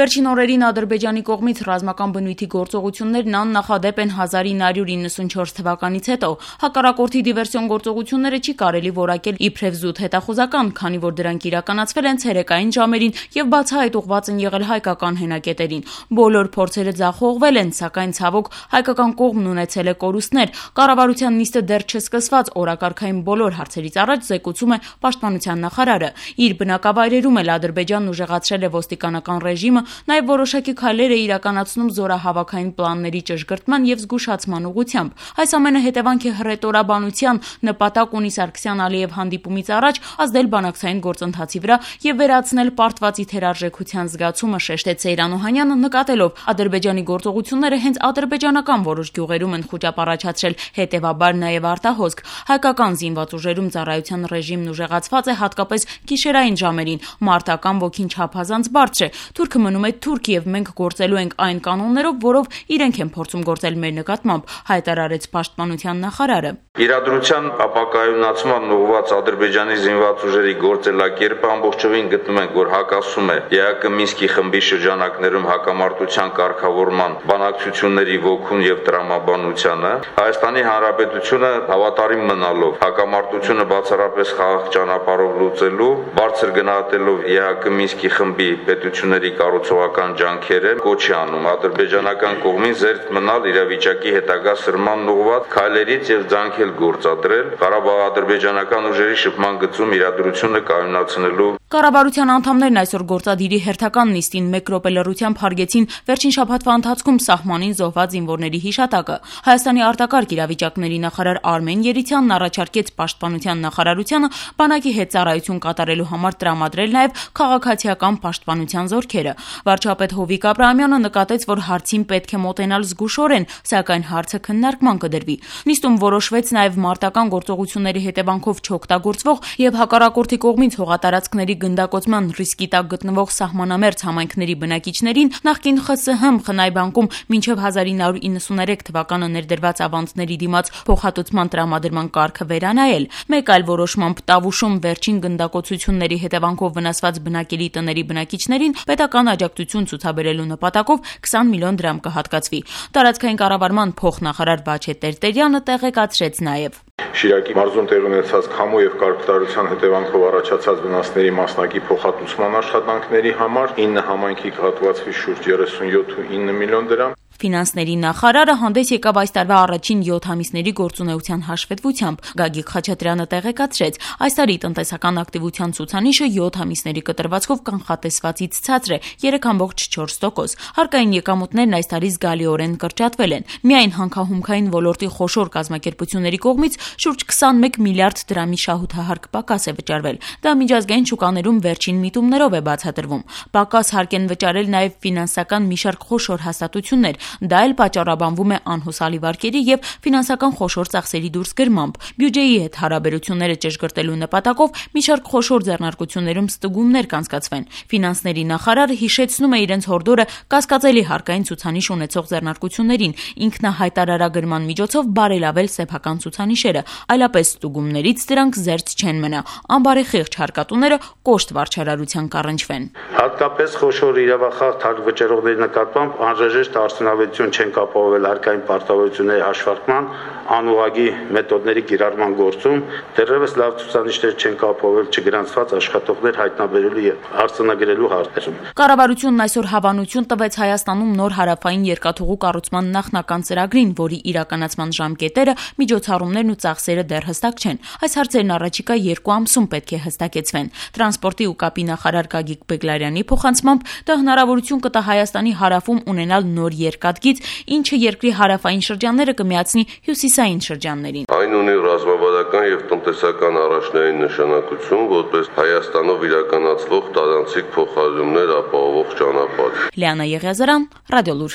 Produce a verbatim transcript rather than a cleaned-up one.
Վերջին օրերին Ադրբեջանի կողմից ռազմական բնույթի գործողություններն աննախադեպ են հազար ինը հարյուր իննսունչորս թվականից հետո։ Հակառակորդի դիվերսիոն գործողությունները չի կարելի որակել իբրև զուտ հետախուզական, քանի որ դրանք իրականացվել են ցերեկային ժամերին եւ բացահայտ ուղղված են եղել հայկական հենակետերին։ Բոլոր փորձերը ձախողվել են, սակայն ցավոք հայկական կողմն ունեցել է կորուստներ։ Կառավարության նիստը դեռ չսկսված օրակարգային բոլոր հարցերից առաջ զեկուցում է պաշտպանության նախարարը։ Իր բնակավայրերում էլ Ադրբեջանն ուժեղացրել է ոստիկանական ռեժիմը, նաև որոշակի քայլեր է իրականացնում զորահավաքային պլանների ճշգրտման եւ զգուշացման ուղղությամբ։ Այս ամենը հետևանք է հռետորաբանության, նպատակ ունի Սարգսյան-Ալիև հանդիպումից առաջ ազդել բանակցային գործընթացի վրա եւ վերացնել պարտվածի թերարժեքության զգացումը, շեշտեց Սեյրան Օհանյանը, նկատելով Ադրբեջանի գործողությունները հենց ադրբեջանական որոշ գյուղերում են խոճապ առաջացրել, հետեւաբար նաև արտահոսք։ Հայկական զինված ուժերում ծառայության ռեժիմն ուժեղացված է հատկապես գիշերային ժամերին, մարտական ոգին չափազանց բարձր է։ Թուրքը մնում է թուրք եւ մենք գործելու ենք այն կանոններով, որով իրենք են փորձում գործել մեր նկատմամբ, հայտարարեց պաշտպանության նախարարը։ Իրադրության ապակայունացման ուղղված Ադրբեջանի զինված ուժերի գործելակերպը ամբողջովին գտնում ենք, որ հակասում է ԵԱԿ Մինսկի խմբի շրջանակներում հակամարտության կարգավորման բանակցությունների ոգուն եւ տրամաբանությանը։ Հայաստանի Հանրապետությունը հավատարիմ մնալով հակամարտությունը բացառապես խաղաղ ճանապարհով լուծելու, բարձր գնահատելով ԵԱԿ Մինսկի խմբի պետությունների կառուցողական ջանքերը, կոչ է անում ադրբեջանական կողմին զերծ մնալ իրավիճակի հետագա սրմանն ուղղված քայլերից եւ ջանքել գործադրել Ղարաբաղ-ադրբեջանական ուժերի շփման գծում իրադրությունը կայունացնելու։ Կառավարության անդամներն այսօր գործադիրի հերթական նիստին մեկ րոպե լռությամբ հարգեցին վերջին շաբաթվա ընթացքում սահմանին զոհված զինվորների հիշատակը։ Հայաստանի արտակարգ իրավիճակների նախարար Արմեն Երիցյանն առաջարկեց պաշտպանության նախարարությանը բանակի հետ ծառայություն կատարելու համար տրամադրել նաև քաղաքացիական պաշտպանության զորքերը։ Վարչապետ Հովիկ Աբրահամյանը նկատեց, որ հարցին պետք է մոտենալ զգուշորեն, սակայն հարցը քննարկման կդրվի։ Նիստում որոշվեց նաև մարտական գործողությունների հետևանքով չօգտագործվող եւ հակառակորդի կողմից հողատարածքների գնդակոծման ռիսկի տակ գտնվող սահմանամերձ համայնքների բնակիչներին նախկին ԽՍՀՄ Խնայ բանկում մինչև հազար ինը հարյուր իննսուներեք թվականը ներդրված ավանցների դիմաց փոխհատուցման տրամադրման կարգը վերանայել։ Մեկ այլ որոշմամբ Տավուշում վերջին գնդակոծությունների հետևանքով վնասված բնակելի տների բնակիչներին պետական աջակցություն ցուցաբերելու նպատակով քսան միլիոն դրամ կհատկացվի։ Տարածքային կառավարման փոխնախարար Բաչե Տերտերյանը տեղեկացրեց նաև. Շիրակի մարզում տեղի ունեցած քամու եւ կարգատարության հետևանքով առաջացած վնասների մասնակի փոխհատուցման աշխատանքների համար ինը համայնքի կհատվածվի շուրջ երեսունյոթ ու ինը միլիոն դրամ։ Ֆինանսների նախարարը հանդես եկավ այս տարվա առաջին յոթ ամիսների գործունեության հաշվետվությամբ։ Գագիկ Խաչատրյանը տեղեկացրեց, այս տարի տնտեսական ակտիվության ցուցանիշը յոթ ամիսների կտրվածքով կանխատեսվածից ցածր է երեք կόμμα չորս տոկոս։ Հարկային եկամուտներն այս տարի զգալիորեն կրճատվել են։ Միայն հանքահումքային ոլորտի խոշոր կազմակերպությունների կողմից շուրջ քսանմեկ միլիարդ դրամի շահութահարկ պակաս է վճարվել։ Դա միջազգային շուկաներում վերջին միտումներով է բացատրվում։ Պակաս հարկ են վճարել նաև ֆինանսական մի շարք խոշոր հաստատություններ։ Դա էլ պատճառաբանվում է անհուսալի վարկերի եւ ֆինանսական խոշոր ծախսերի դուրսգրմամբ։ Բյուջեի հետ հարաբերությունները ճշգրտելու նպատակով մի շարք խոշոր ձեռնարկություններում ստուգումներ կանցկացվեն։ Ֆինանսների նախարարը հիշեցնում է իրենց հորդորը կասկածելի հարկային ցուցանիշ ունեցող ձեռնարկություններին, ինքնահայտարարագրման միջոցով բարելավել սեփական ցուցանիշերը, այլապես ստուգումներից դրանք զերծ չեն մնա։ Անբարեխիղճ հարկատուները կոշտ վարչարարության կառնչվեն։ Հատկապես խոշոր իրավախախտ հարկ վճարողների նկատմամբ անհրաժեշտ արդյունավետություն չեն ապահովել հարկային պարտավորությունների հաշվարկման, անուղղակի մեթոդների կիրառման գործում, դեռևս լավ ցուցանիշներ չեն ապահովել չգրանցված աշխատողներ հայտնաբերելու եւ արձանագրելու հարցերում։ Կառավարությունն այսօր հավանություն տվեց Հայաստանում նոր հարավային երկաթուղու կառուցման նախնական ծրագրին, որի իրականացման ժամկետերը, միջոցառումներն ու ծախսերը դեռ հստակ չեն։ Այս հարցերն առաջիկա երկու ամսում պետք է հստակեցվեն։ Տրանսպորտի ու կապի նախարար Գագիկ Բեգլարյանի փոխանցմամբ դա հնարավորություն կտա Հայաստանի հարավում ունենալ նոր երկաթգիծ, ինչը երկրի հարավային շրջանները կմիացնի հյուսիսային շրջաններին։ Այն ունի ռազմավարական եւ տնտեսական առաջնային նշանակություն, որպես Հայաստանով իրականացվող տարանցիկ փոխադրումներ ապահովող ճանապարհ։ Լիանա Եղիազարյան, Ռադիոլուր։